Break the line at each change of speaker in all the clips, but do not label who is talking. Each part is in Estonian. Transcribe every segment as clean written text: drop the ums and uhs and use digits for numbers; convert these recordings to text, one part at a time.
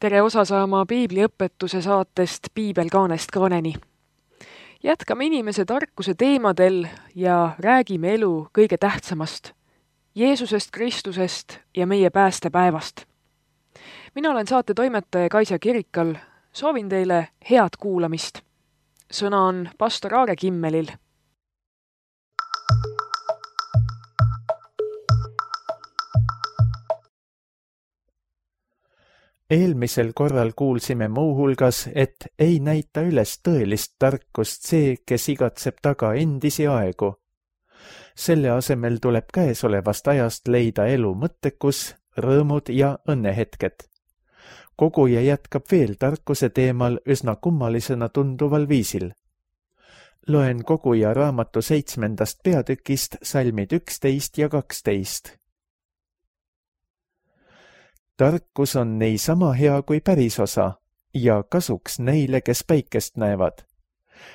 tere osa saama piibliõpetuse saatest Piibel kaanest kaaneni. Jätkame inimese tarkuse teemadel ja räägime elu kõige tähtsamast, Jeesusest Kristusest ja meie päästepäevast. Mina olen saate toimetaja Kaisa Kirikal, soovin teile head kuulamist. Sõna on pastor Aare Kimmelil.
Eelmisel korral kuulsime muuhulgas, et ei näita üles tõelist tarkust see, kes igatseb taga endisi aegu. Selle asemel tuleb käesolevast ajast leida elu mõttekus, rõõmud ja õnnehetked. Koguja jätkab veel tarkuse teemal üsna kummalisena tunduval viisil. Loen Koguja raamatu 7. peatükist salmid 11 ja 12. Tarkus on niisama hea kui pärisosa ja kasuks neile, kes päikest näevad.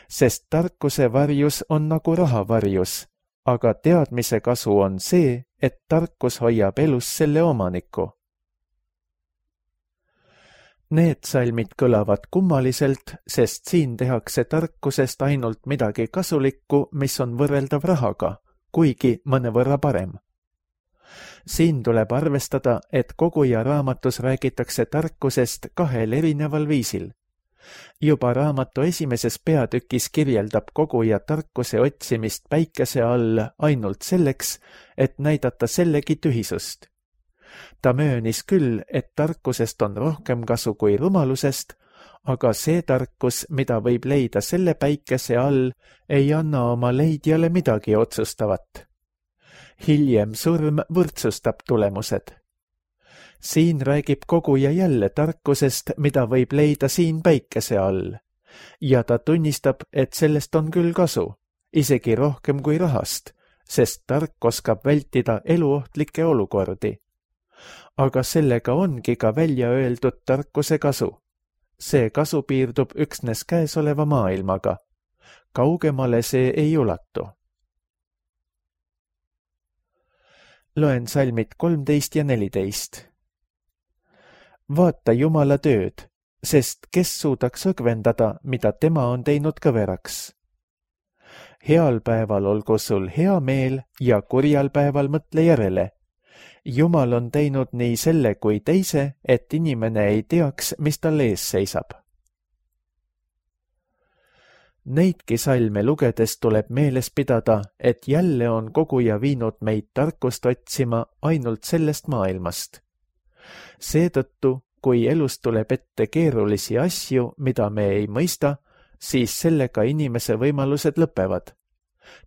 Sest tarkuse varjus on nagu raha varjus, aga teadmise kasu on see, et tarkus hoiab elus selle omaniku. Need salmid kõlavad kummaliselt, sest siin tehakse tarkusest ainult midagi kasulikku, mis on võrreldav rahaga, kuigi mõnevõrra parem. Siin tuleb arvestada, et Koguja raamatus räägitakse tarkusest kahel erineval viisil. Juba raamatu 1. peatükis kirjeldab Koguja tarkuse otsimist päikese all ainult selleks, et näidata sellegi tühisust. Ta möönis küll, et tarkusest on rohkem kasu kui rumalusest, aga see tarkus, mida võib leida selle päikese all, ei anna oma leidjale midagi otsustavat. Hiljem surm võrdsustab tulemused. Siin räägib Koguja jälle tarkusest, mida võib leida siin päikese all. Ja ta tunnistab, et sellest on küll kasu, isegi rohkem kui rahast, sest tark oskab vältida eluohtlikke olukordi. Aga sellega ongi ka välja öeldud tarkuse kasu. See kasu piirdub üksnes käesoleva maailmaga. Kaugemale see ei ulatu. Loen salmid 13 ja 14. Vaata Jumala tööd, sest kes suudaks õgvendada, mida tema on teinud kõveraks. Heal päeval olgu sul hea meel ja kurjal päeval mõtle järele. Jumal on teinud nii selle kui teise, et inimene ei teaks, mis tal ees seisab. Neidki salme lugedes tuleb meeles pidada, et jälle on Koguja viinud meid tarkust otsima ainult sellest maailmast. Seetõttu, kui elus tuleb ette keerulisi asju, mida me ei mõista, siis sellega inimese võimalused lõpevad.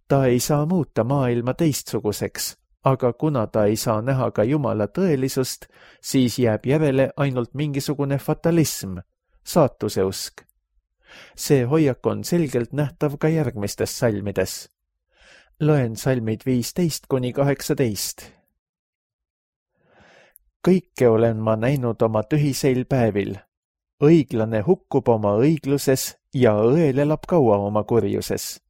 Ta ei saa muuta maailma teistsuguseks, aga kuna ta ei saa näha ka Jumala tõelisust, siis jääb järele ainult mingisugune fatalism, saatuseusk. See hoiak on selgelt nähtav ka järgmistes salmides. Loen salmid 15 kuni 18. Kõike olen ma näinud oma tühiseil päevil. Õiglane hukkub oma õigluses ja õel elab kaua oma kurjuses.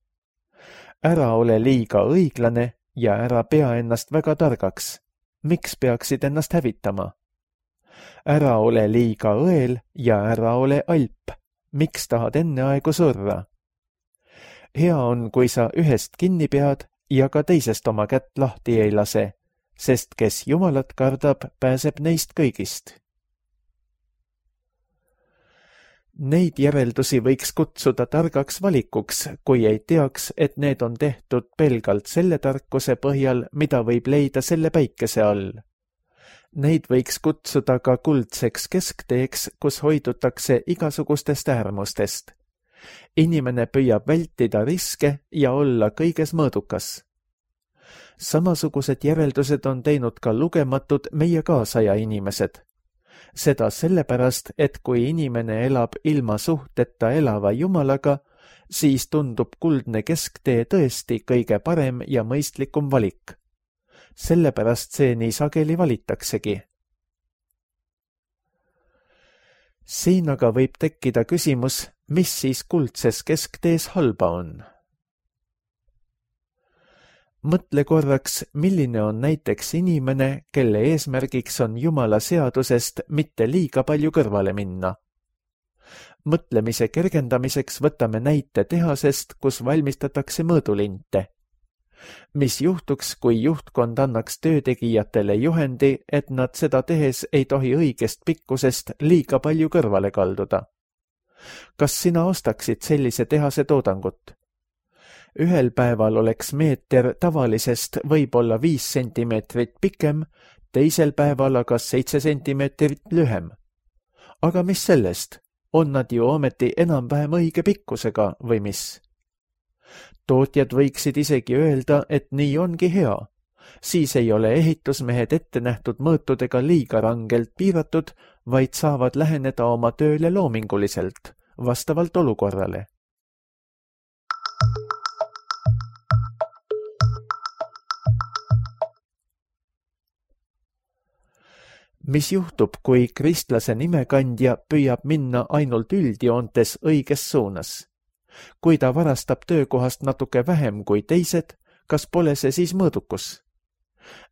Ära ole liiga õiglane ja ära pea ennast väga targaks. Miks peaksid ennast hävitama? Ära ole liiga õel ja ära ole alp. Miks tahad enne aegu surra? Hea on, kui sa ühest kinni pead ja ka teisest oma kätt lahti ei lase, sest kes Jumalat kardab, pääseb neist kõigist. Neid järeldusi võiks kutsuda targaks valikuks, kui ei teaks, et need on tehtud pelgalt selle tarkuse põhjal, mida võib leida selle päikese all. Neid võiks kutsuda ka kuldseks keskteeks, kus hoidutakse igasugustest äärmustest. Inimene püüab vältida riske ja olla kõiges mõõdukas. Samasugused järeldused on teinud ka lugematud meie kaasaja inimesed. Seda sellepärast, et kui inimene elab ilma suhteta elava Jumalaga, siis tundub kuldne kesktee tõesti kõige parem ja mõistlikum valik. Sellepärast see nii sageli valitaksegi. Siin aga võib tekkida küsimus, mis siis kuldses kesktees halba on. Mõtle korraks, milline on näiteks inimene, kelle eesmärgiks on Jumala seadusest mitte liiga palju kõrvale minna. Mõtlemise kergendamiseks võtame näite tehasest, kus valmistatakse mõõdulinte. Mis juhtuks, kui juhtkond annaks töötegijatele juhendi, et nad seda tehes ei tohi õigest pikkusest liiga palju kõrvale kalduda? Kas sina ostaksid sellise tehase toodangut? Ühel päeval oleks meeter tavalisest võib-olla 5 sentimeetrit pikem, teisel päeval aga 7 sentimeetrit lühem. Aga mis sellest? On nad ju ometi enam-vähem õige pikkusega või mis? Tootjad võiksid isegi öelda, et nii ongi hea. Siis ei ole ehitusmehed ette nähtud mõõtudega liiga rangelt piiratud, vaid saavad läheneda oma tööle loominguliselt, vastavalt olukorrale. Mis juhtub, kui kristlase nimekandja püüab minna ainult üldjoontes õiges suunas? Kui ta varastab töökohast natuke vähem kui teised, kas pole see siis mõõdukus?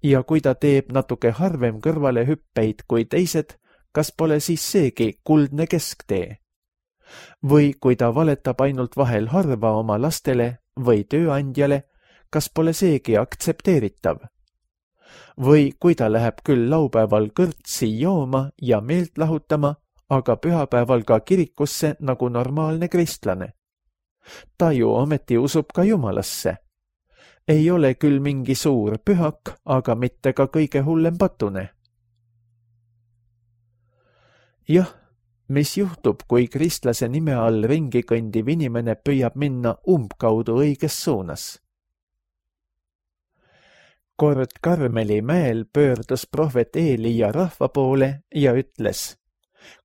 Ja kui ta teeb natuke harvem kõrvale hüppeid kui teised, kas pole siis seegi kuldne kesktee? Või kui ta valetab ainult vahel harva oma lastele või tööandjale, kas pole seegi aktsepteeritav? Või kui ta läheb küll laupäeval kõrtsi jooma ja meelt lahutama, aga pühapäeval ka kirikusse nagu normaalne kristlane. Ta ju ometi usub ka Jumalasse. Ei ole küll mingi suur pühak, aga mitte ka kõige hullem patune. Jah, mis juhtub, kui kristlase nime all ringi kõndiv inimene püüab minna umbkaudu õiges suunas? Kord Karmeli mäel pöördus prohvet Eelia rahva poole ja ütles: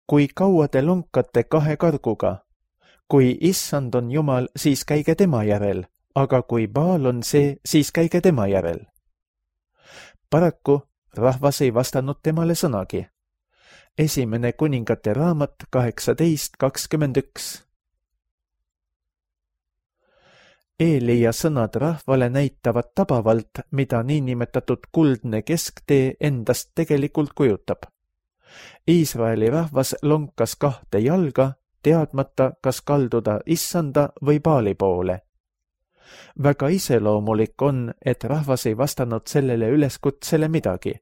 kui kaua te lonkate 2 karguga? Kui issand on Jumal, siis käige tema järel, aga kui Baal on see, siis käige tema järel. Paraku rahvas ei vastanud temale sõnagi. 1. Kuningate raamat 18:21. Eelia sõnad rahvale näitavad tabavalt, mida niinimetatud kuldne kesktee endast tegelikult kujutab. Iisraeli rahvas lonkas 2 jalga, teadmata, kas kalduda issanda või Baali poole. Väga iseloomulik on, et rahvas ei vastanud sellele üleskutsele midagi.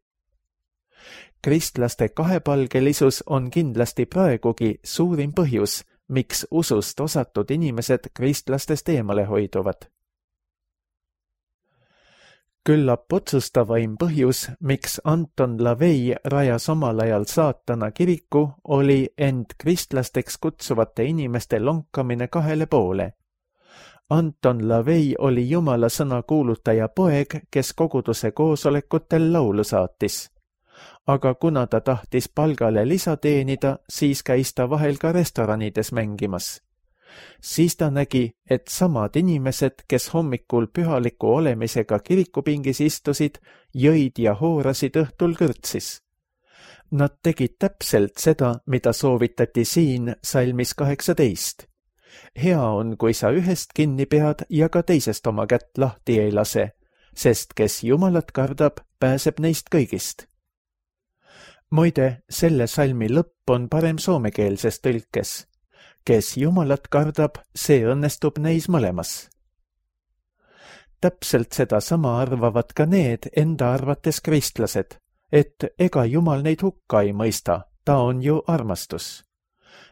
Kristlaste kahepalgelisus on kindlasti praegugi suurim põhjus, miks usust osatud inimesed kristlastest eemale hoiduvad. Küllap otsustavaim põhjus, miks Anton LaVey rajas omal ajal saatana kiriku, oli end kristlasteks kutsuvate inimeste lonkamine 2 poole. Anton LaVey oli Jumala sõna kuulutaja poeg, kes koguduse koosolekutel laulu saatis. Aga kuna ta tahtis palgale lisa teenida, siis käis ta vahel ka restoranides mängimas. Siis ta nägi, et samad inimesed, kes hommikul pühaliku olemisega kirikupingis istusid, jõid ja hoorasid õhtul kõrtsis. Nad tegid täpselt seda, mida soovitati siin salmis 18. Hea on, kui sa ühest kinni pead ja ka teisest oma kätt lahti ei lase, sest kes Jumalat kardab, pääseb neist kõigist. Muide, selle salmi lõpp on parem soomekeelses tõlkes. Kes Jumalat kardab, see õnnestub neis mõlemas. Täpselt seda sama arvavad ka need enda arvates kristlased, et ega Jumal neid hukka ei mõista, ta on ju armastus.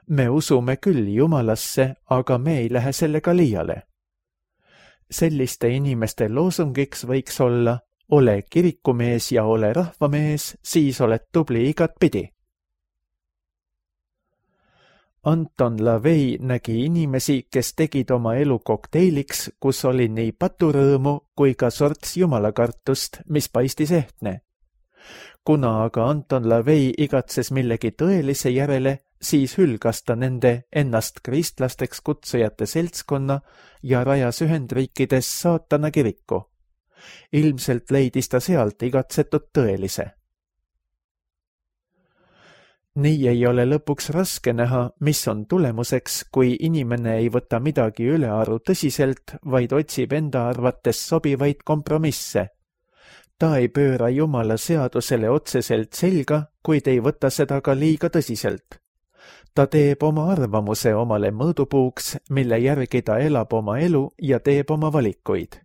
Me usume küll Jumalasse, aga me ei lähe sellega liiale. Selliste inimeste loosungiks võiks olla: ole kirikumees ja ole rahvamees, siis oled tubli igatpidi. Anton LaVey nägi inimesi, kes tegid oma elu kokteiliks, kus oli nii paturõõmu kui ka sorts jumalakartust, mis paistis ehtne. Kuna aga Anton LaVey igatses millegi tõelise järele, siis hülgas ta nende ennast kristlasteks kutsujate seltskonna ja rajas Ühendriikides saatana kiriku. Ilmselt leidis ta sealt igatsetud tõelise. Nii ei ole lõpuks raske näha, mis on tulemuseks, kui inimene ei võta midagi ülearu tõsiselt, vaid otsib enda arvates sobivaid kompromisse. Ta ei pööra Jumala seadusele otseselt selga, kuid ei võta seda ka liiga tõsiselt. Ta teeb oma arvamuse omale mõõdupuuks, mille järgi ta elab oma elu ja teeb oma valikuid.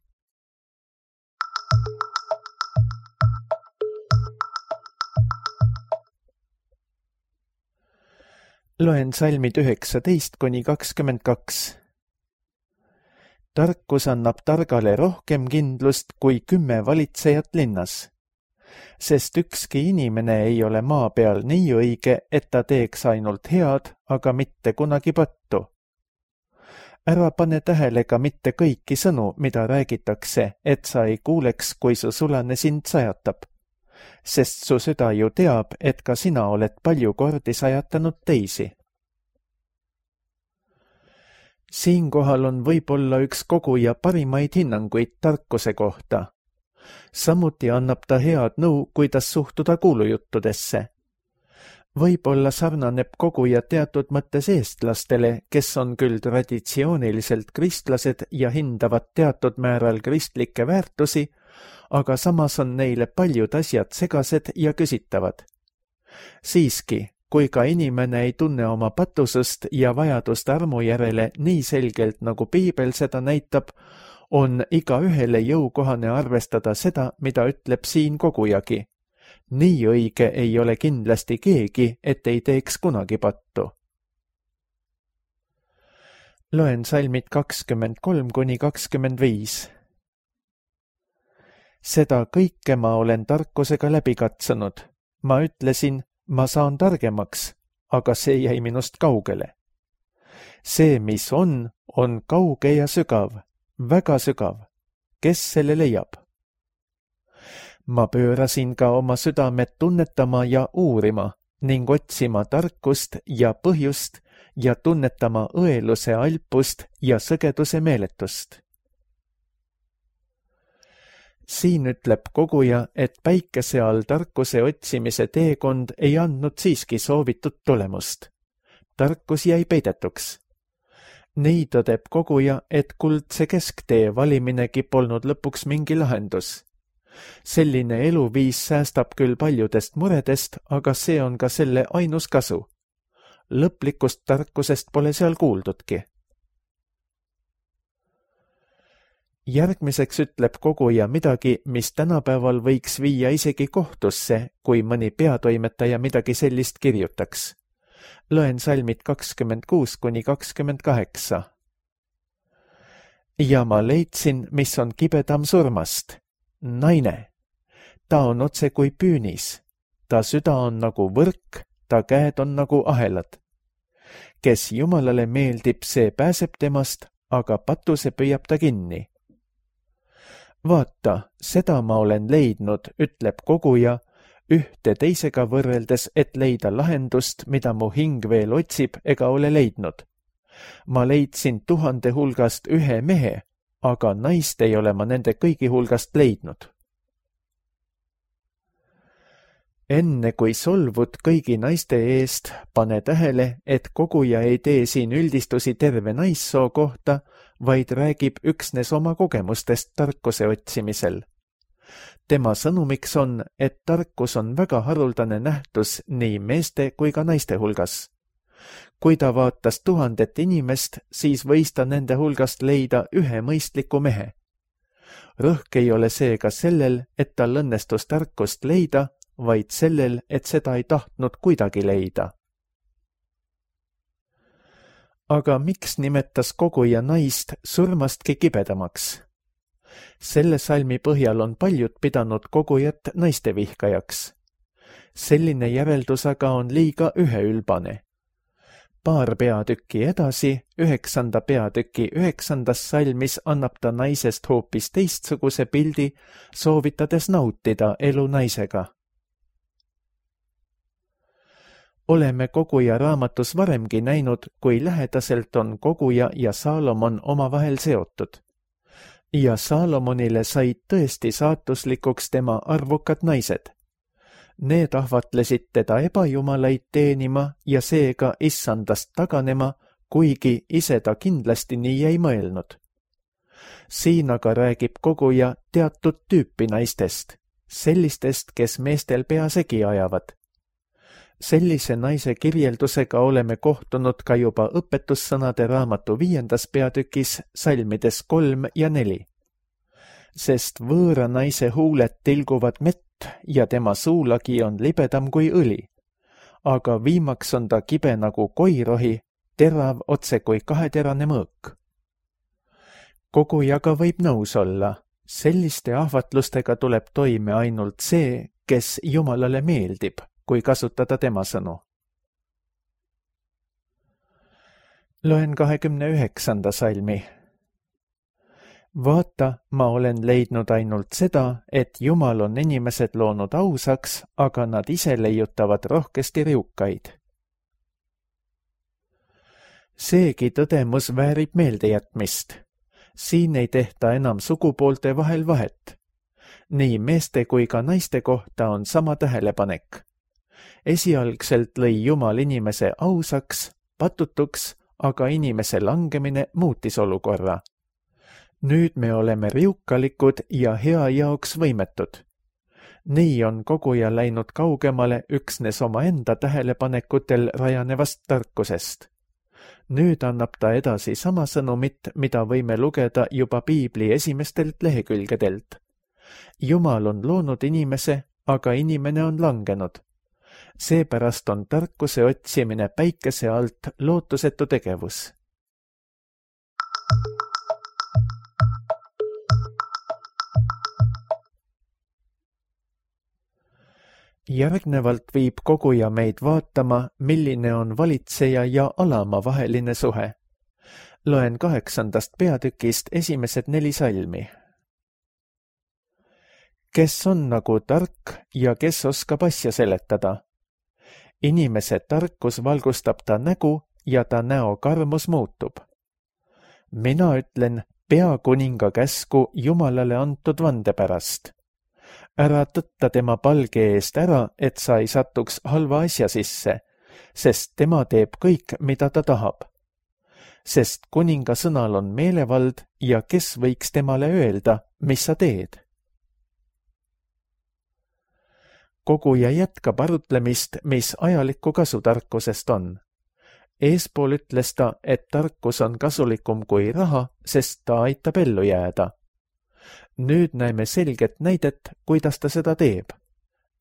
Loen salmid 19–22. Tarkus annab targale rohkem kindlust kui 10 valitsejat linnas, sest ükski inimene ei ole maa peal nii õige, et ta teeks ainult head, aga mitte kunagi pattu. Ära pane tähele ka mitte kõiki sõnu, mida räägitakse, et sa ei kuuleks, kui su sulane sind sajatab, sest su süda ju teab, et ka sina oled palju kordi sajatanud teisi. Siinkohal on võib-olla üks koguja parimaid hinnanguid tarkuse kohta. Samuti annab ta head nõu, kuidas suhtuda kuulujuttudesse. Võib-olla sarnaneb koguja teatud mõttes eestlastele, kes on küll traditsiooniliselt kristlased ja hindavad teatud määral kristlikke väärtusi, aga samas on neile paljud asjad segased ja küsitavad. Siiski, kui ka inimene ei tunne oma patusust ja vajadust armu järele nii selgelt, nagu Piibel seda näitab, on igaühele jõukohane arvestada seda, mida ütleb siin kogujagi. Nii õige ei ole kindlasti keegi, et ei teeks kunagi pattu. Loen salmid 23–25. Seda kõike ma olen tarkusega läbi katsunud. Ma ütlesin, ma saan targemaks, aga see jäi minust kaugele. See, mis on kauge ja sügav, väga sügav. Kes selle leiab? Ma pöörasin ka oma südamed tunnetama ja uurima ning otsima tarkust ja põhjust ja tunnetama õeluse alpust ja sõgeduse meeletust. Siin ütleb koguja, et päikese all tarkuse otsimise teekond ei andnud siiski soovitud tulemust. Tarkus jäi peidetuks. Nii tõdeb koguja, et kuldse kesktee valiminegi polnud lõpuks mingi lahendus. Selline eluviis säästab küll paljudest muredest, aga see on ka selle ainus kasu. Lõplikust tarkusest pole seal kuuldudki. Järgmiseks ütleb koguja midagi, mis tänapäeval võiks viia isegi kohtusse, kui mõni peatoimetaja midagi sellist kirjutaks. Loen salmid 26–28. Ja ma leidsin, mis on kibedam surmast. Naine. Ta on otse kui püünis. Ta süda on nagu võrk, ta käed on nagu ahelad. Kes Jumalale meeldib, see pääseb temast, aga patuse püüab ta kinni. Vaata, seda ma olen leidnud, ütleb koguja, ühte teisega võrreldes, et leida lahendust, mida mu hing veel otsib ega ole leidnud. Ma leidsin 1000 hulgast ühe mehe, aga naist ei ole ma nende kõigi hulgast leidnud. Enne kui solvud kõigi naiste eest, pane tähele, et koguja ei tee siin üldistusi terve naissoo kohta, vaid räägib üksnes oma kogemustest tarkuse otsimisel. Tema sõnumiks on, et tarkus on väga haruldane nähtus nii meeste kui ka naiste hulgas. Kui ta vaatas 1000 inimest, siis võis ta nende hulgast leida ühe mõistliku mehe. Rõhk ei ole seega sellel, et tal õnnestus tarkust leida, vaid sellel, et seda ei tahtnud kuidagi leida. Aga miks nimetas koguja naist surmastki kibedamaks? Selle salmi põhjal on paljud pidanud kogujat naistevihkajaks. Selline järeldus aga on liiga üheülbane. Paar peatükki edasi, 9. peatüki 9. salmis annab ta naisest hoopis teistsuguse pildi, soovitades nautida elu naisega. Oleme koguja raamatus varemgi näinud, kui lähedaselt on koguja ja Saalomon omavahel seotud. Ja Saalomonile said tõesti saatuslikuks tema arvukad naised. Need ahvatlesid teda ebajumalaid teenima ja seega issandast taganema, kuigi ise ta kindlasti nii ei mõelnud. Siin aga räägib koguja teatud tüüpi naistest, sellistest, kes meestel pea segi ajavad. Sellise naise kirjeldusega oleme kohtunud ka juba õpetussõnade raamatu 5. peatükis salmides 3 ja 4. Sest võõra naise huuled tilguvad mett ja tema suulagi on libedam kui õli, aga viimaks on ta kibe nagu koirohi, terav otse kui kaheterane mõõk. Kogujaga võib nõus olla, selliste ahvatlustega tuleb toime ainult see, kes Jumalale meeldib, kui kasutada tema sõnu. Loen 29. salmi. Vaata, ma olen leidnud ainult seda, et Jumal on inimesed loonud ausaks, aga nad ise leiutavad rohkesti riukaid. Seegi tõdemus väärib meeldejätmist. Siin ei tehta enam sugupoolte vahel vahet. Nii meeste kui ka naiste kohta on sama tähelepanek. Esialgselt lõi Jumal inimese ausaks, patutuks, aga inimese langemine muutis olukorra. Nüüd me oleme riukalikud ja hea jaoks võimetud. Nii on koguja läinud kaugemale üksnes oma enda tähelepanekutel rajanevast tarkusest. Nüüd annab ta edasi sama sõnumit, mida võime lugeda juba Piibli esimestelt lehekülgedelt. Jumal on loonud inimese, aga inimene on langenud. Seepärast on tarkuse otsimine päikese alt lootusetu tegevus. Järgnevalt viib koguja meid vaatama, milline on valitseja ja alama vaheline suhe. Loen 8. peatükist esimesed 4 salmi. Kes on nagu tark ja kes oskab asja seletada? Inimese tarkus valgustab ta nägu ja ta näo karmus muutub. Mina ütlen peakuninga käsku Jumalale antud vande pärast. Ära tõtta tema palge eest ära, et sa ei satuks halva asja sisse, sest tema teeb kõik, mida ta tahab. Sest kuninga sõnal on meelevald ja kes võiks temale öelda, mis sa teed? Koguja jätkab arutlemist, mis ajalikku kasu tarkusest on. Eespool ütles ta, et tarkus on kasulikum kui raha, sest ta aitab ellu jääda. Nüüd näeme selget näidet, kuidas ta seda teeb.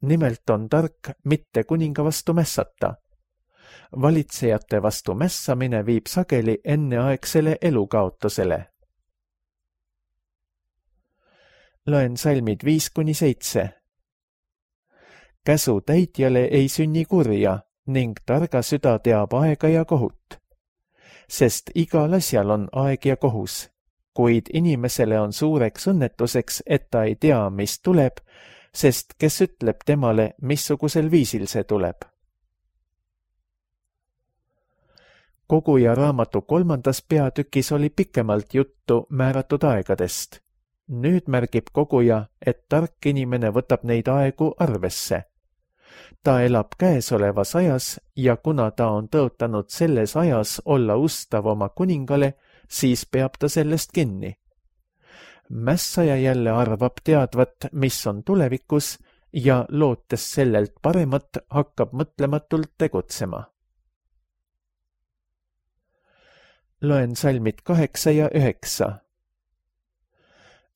Nimelt on tark mitte kuninga vastu mässata. Valitsejate vastu mässamine viib sageli enneaegsele elukaotusele. Loen salmid 5-7. Käsu täitjale ei sünni kurja ning targa süda teab aega ja kohut. Sest igal asjal on aeg ja kohus. Kuid inimesele on suureks õnnetuseks, et ta ei tea, mis tuleb, sest kes ütleb temale, missugusel viisil see tuleb. Koguja raamatu 3. peatükis oli pikemalt juttu määratud aegadest. Nüüd märgib koguja, et tark inimene võtab neid aegu arvesse. Ta elab käesolevas ajas ja kuna ta on tõotanud selles ajas olla ustav oma kuningale, siis peab ta sellest kinni. Mässaja jälle arvab teadvat, mis on tulevikus ja lootes sellelt paremat, hakkab mõtlematult tegutsema. Loen salmid 8 ja 9.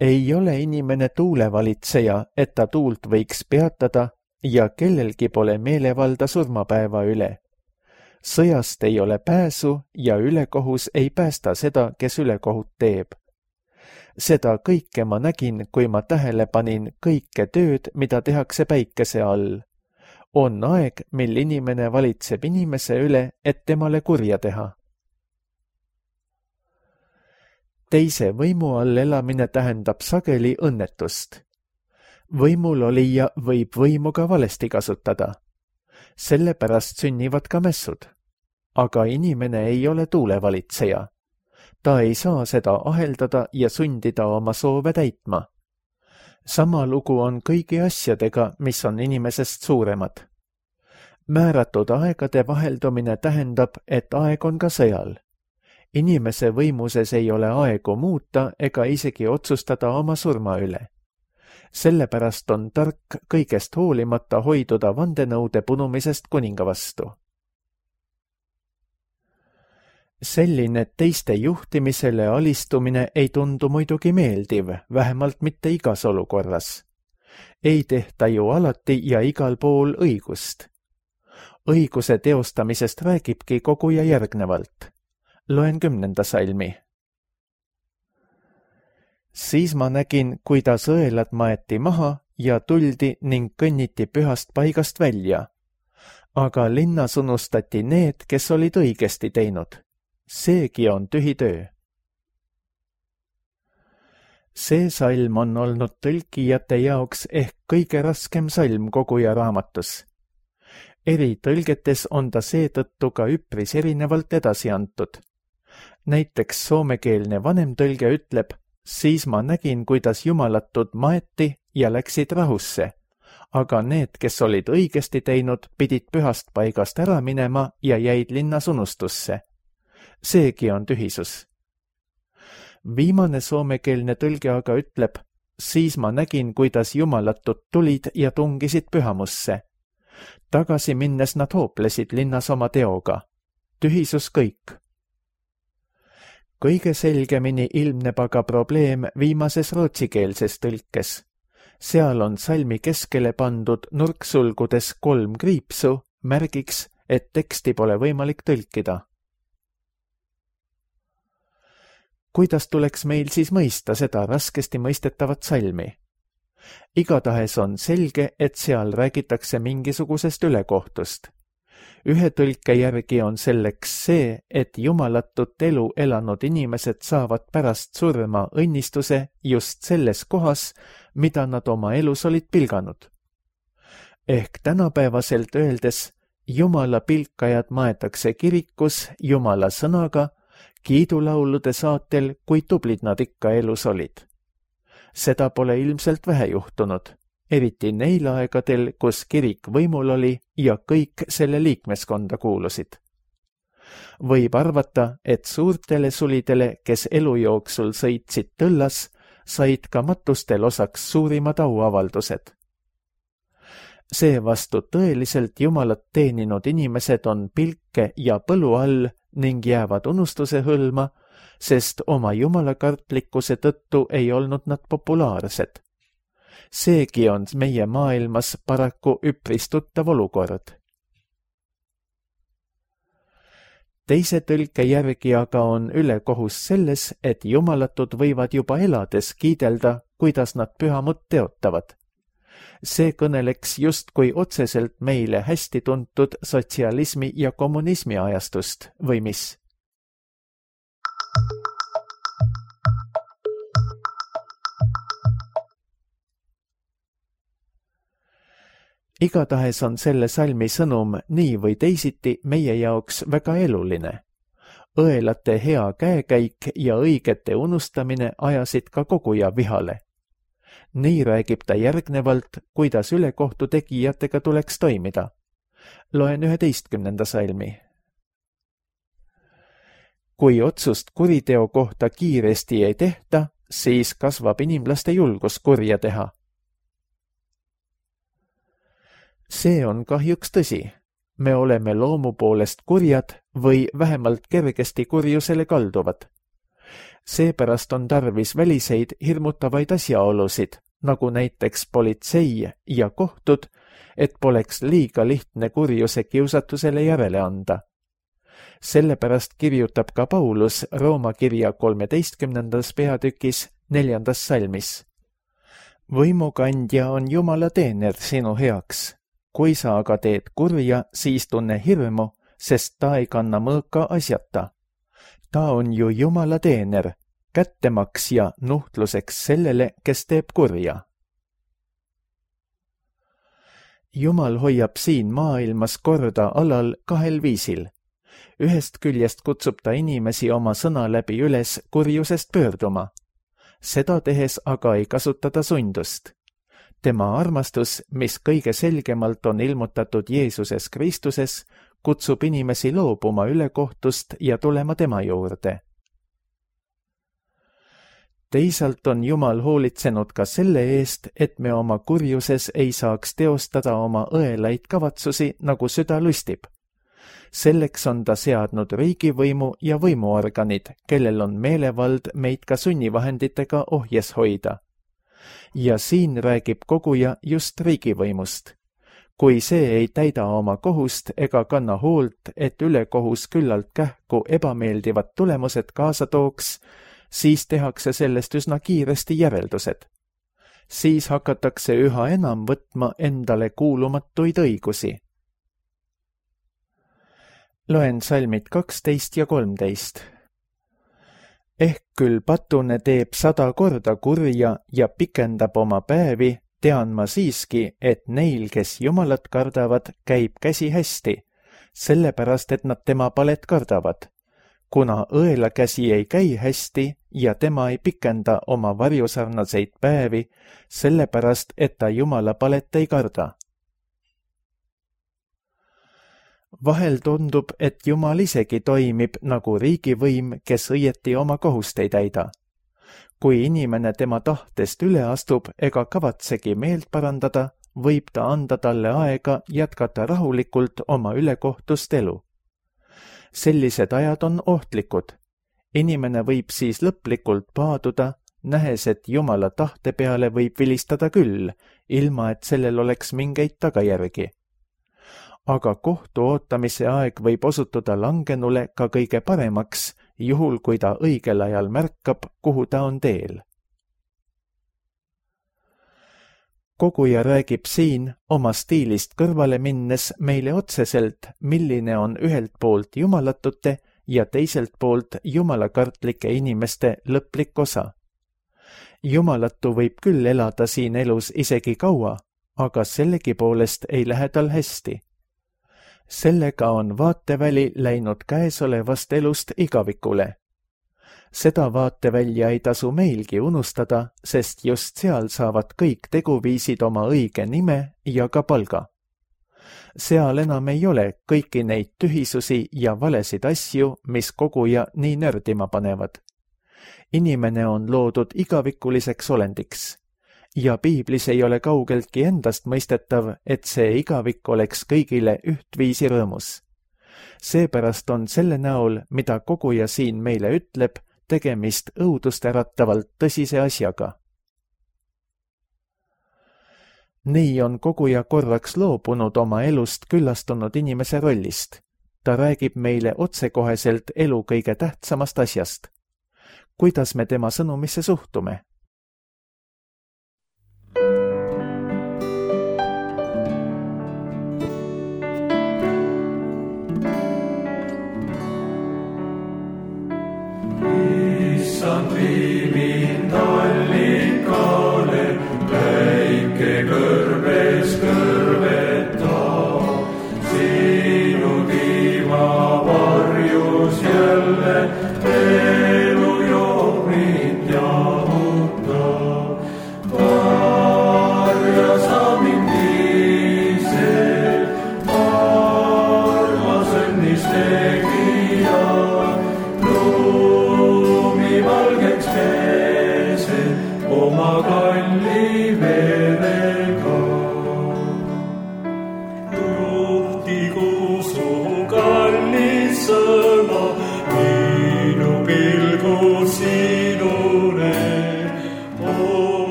Ei ole inimene tuulevalitseja, et ta tuult võiks peatada ja kellelgi pole meelevalda surmapäeva üle. Sõjast ei ole pääsu ja ülekohus ei päästa seda, kes ülekohut teeb. Seda kõike ma nägin, kui ma tähele panin kõike tööd, mida tehakse päikese all. On aeg, mil inimene valitseb inimese üle, et temale kurja teha. Teise võimu all elamine tähendab sageli õnnetust. Võimul olija võib võimu ka valesti kasutada. Sellepärast sünnivad ka mässud. Aga inimene ei ole tuulevalitseja. Ta ei saa seda aheldada ja sundida oma soove täitma. sama lugu on kõigi asjadega, mis on inimesest suuremad. Määratud aegade vaheldumine tähendab, et aeg on ka sõjal. Inimese võimuses ei ole aegu muuta ega isegi otsustada oma surma üle. Sellepärast on tark kõigest hoolimata hoiduda vandenõude punumisest kuninga vastu. Selline teiste juhtimisele alistumine ei tundu muidugi meeldiv, vähemalt mitte igas olukorras. Ei tehta ju alati ja igal pool õigust. Õiguse teostamisest räägibki koguja järgnevalt. Loen 10. salmi. Siis ma nägin, kuidas õelad maeti maha ja tuldi ning kõnniti pühast paigast välja. Aga linnas unustati need, kes olid õigesti teinud. Seegi on tühi töö. See salm on olnud tõlkijate jaoks ehk kõige raskem salm koguja raamatus. Eri tõlgetes on ta seetõttu ka üpris erinevalt edasi antud. Näiteks soomekeelne vanemtõlge ütleb, siis ma nägin, kuidas jumalatud maeti ja läksid rahusse, aga need, kes olid õigesti teinud, pidid pühast paigast ära minema ja jäid linnas unustusse. Seegi on tühisus. Viimane soomekeelne tõlge aga ütleb, siis ma nägin, kuidas jumalatud tulid ja tungisid pühamusse. Tagasi minnes nad hooplesid linnas oma teoga. Tühisus kõik. Kõige selgemini ilmneb aga probleem viimases rootsikeelses tõlkes. Seal on salmi keskele pandud nurksulgudes 3 kriipsu, märgiks, et teksti pole võimalik tõlkida. Kuidas tuleks meil siis mõista seda raskesti mõistetavat salmi? Igatahes on selge, et seal räägitakse mingisugusest ülekohtust. Ühe tõlke järgi on selleks see, et jumalatut elu elanud inimesed saavad pärast surma õnnistuse just selles kohas, mida nad oma elus olid pilganud. Ehk tänapäevaselt öeldes, Jumala pilkajad maetakse kirikus Jumala sõnaga, kiidulaulude saatel, kui tublid nad ikka elus olid. Seda pole ilmselt vähe juhtunud, eriti neil aegadel, kus kirik võimul oli ja kõik selle liikmeskonda kuulusid. Võib arvata, et suurtele sulidele, kes elu jooksul sõitsid tõllas, said ka matustel osaks suurimad auavaldused. Seevastu tõeliselt Jumalat teeninud inimesed on pilke ja põlu all ning jäävad unustuse hõlma, sest oma jumalakartlikkuse tõttu ei olnud nad populaarsed. Seegi on meie maailmas paraku üpris tuttav olukord. Teise tõlke järgi aga on ülekohus selles, et jumalatud võivad juba elades kiidelda, kuidas nad pühamut teotavad. See kõneleks justkui otseselt meile hästi tuntud sotsialismi ja kommunismi ajastust, või mis? Igatahes on selle salmi sõnum nii või teisiti meie jaoks väga eluline. Õelate hea käekäik ja õigete unustamine ajasid ka koguja vihale. Nii räägib ta järgnevalt, kuidas ülekohtu tegijatega tuleks toimida. Loen 11. salmi. Kui otsust kuriteo kohta kiiresti ei tehta, siis kasvab inimlaste julgus kurja teha. See on kahjuks tõsi. Me oleme loomu poolest kurjad või vähemalt kergesti kurjusele kalduvad. Seepärast on tarvis väliseid hirmutavaid asjaolusid, nagu näiteks politsei ja kohtud, et poleks liiga lihtne kurjuse kiusatusele järele anda. Sellepärast kirjutab ka Paulus Rooma kirja 13. peatükis 4. salmis. Võimukandja on Jumala teener sinu heaks. Kui sa aga teed kurja, siis tunne hirmu, sest ta ei kanna mõõka asjata. Ta on ju Jumala teener, kättemaks ja nuhtluseks sellele, kes teeb kurja. Jumal hoiab siin maailmas korda alal 2 viisil. Ühest küljest kutsub ta inimesi oma sõna läbi üles kurjusest pöörduma. Seda tehes aga ei kasutada sundust. tema armastus, mis kõige selgemalt on ilmutatud Jeesuses Kristuses, kutsub inimesi loobuma ülekohtust ja tulema tema juurde. Teisalt on Jumal hoolitsenud ka selle eest, et me oma kurjuses ei saaks teostada oma õelaid kavatsusi, nagu süda lustib. Selleks on ta seadnud riigivõimu ja võimuorganid, kellel on meelevald meid ka sunnivahenditega ohjes hoida. Ja siin räägib koguja just riigivõimust. Kui see ei täida oma kohust ega kanna hoolt, et ülekohus küllalt kähku ebameeldivad tulemused kaasa tooks, siis tehakse sellest üsna kiiresti järeldused. Siis hakatakse üha enam võtma endale kuulumatuid õigusi. Loen salmid 12 ja 13. Ehk küll patune teeb 100 korda kurja ja pikendab oma päevi, tean ma siiski, et neil, kes Jumalat kardavad, käib käsi hästi, sellepärast, et nad tema palet kardavad. Kuna õela käsi ei käi hästi ja tema ei pikenda oma varjusarnaseid päevi, sellepärast, et ta Jumala palet ei karda. Vahel tundub, et Jumal isegi toimib nagu riigivõim, kes õieti oma kohust ei täida. Kui inimene tema tahtest üle astub ega kavatsegi meelt parandada, võib ta anda talle aega jätkata rahulikult oma ülekohtust elu. Sellised ajad on ohtlikud. Inimene võib siis lõplikult paaduda, nähes, et Jumala tahte peale võib vilistada küll, ilma et sellel oleks mingeid tagajärgi. Aga kohtu ootamise aeg võib osutuda langenule ka kõige paremaks, juhul kui ta õigel ajal märkab, kuhu ta on teel. Koguja räägib siin oma stiilist kõrvale minnes meile otseselt, milline on ühelt poolt jumalatute ja teiselt poolt jumalakartlike inimeste lõplik osa. Jumalatu võib küll elada siin elus isegi kaua, aga sellegipoolest ei lähe tal hästi. Sellega on vaateväli läinud käesolevast elust igavikule. Seda vaatevälja ei tasu meilgi unustada, sest just seal saavad kõik teguviisid oma õige nime ja ka palga. Seal enam ei ole kõiki neid tühisusi ja valesid asju, mis koguja nii nördima panevad. Inimene on loodud igavikuliseks olendiks. Ja piiblis ei ole kaugeltki endast mõistetav, et see igavik oleks kõigile ühtviisi rõõmus. Seepärast on selle näol, mida koguja siin meile ütleb, tegemist õudust äratavalt tõsise asjaga. Nii on koguja korraks loobunud oma elust küllastunud inimese rollist. Ta räägib meile otsekoheselt elu kõige tähtsamast asjast. Kuidas me tema sõnumisse suhtume?
Vii mind allikale, päike kõrbes kõrveta. Sinu tiiva varjus jälle elu joob mind jahuta. Varja sa mind ise, armas õnnist tegija. Valgeks peese oma kalli verega. Juhtigu su kallis sõna, minu pilgud sinune.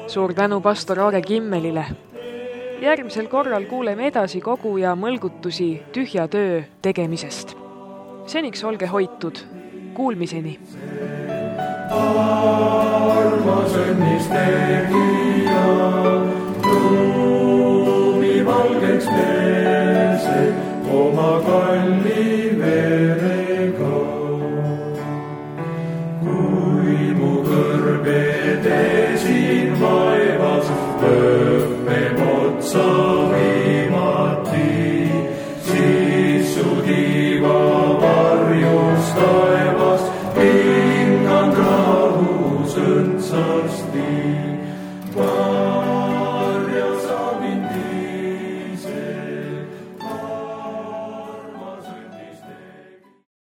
Suur tänu pastor Aare Kimmelile. Järgmisel korral kuuleme edasi koguja mõlgutusi tühja töö tegemisest. Seniks olge hoitud. Kuulmiseni.
Armas õnnist tegija, lumi valgeks peese oma kalli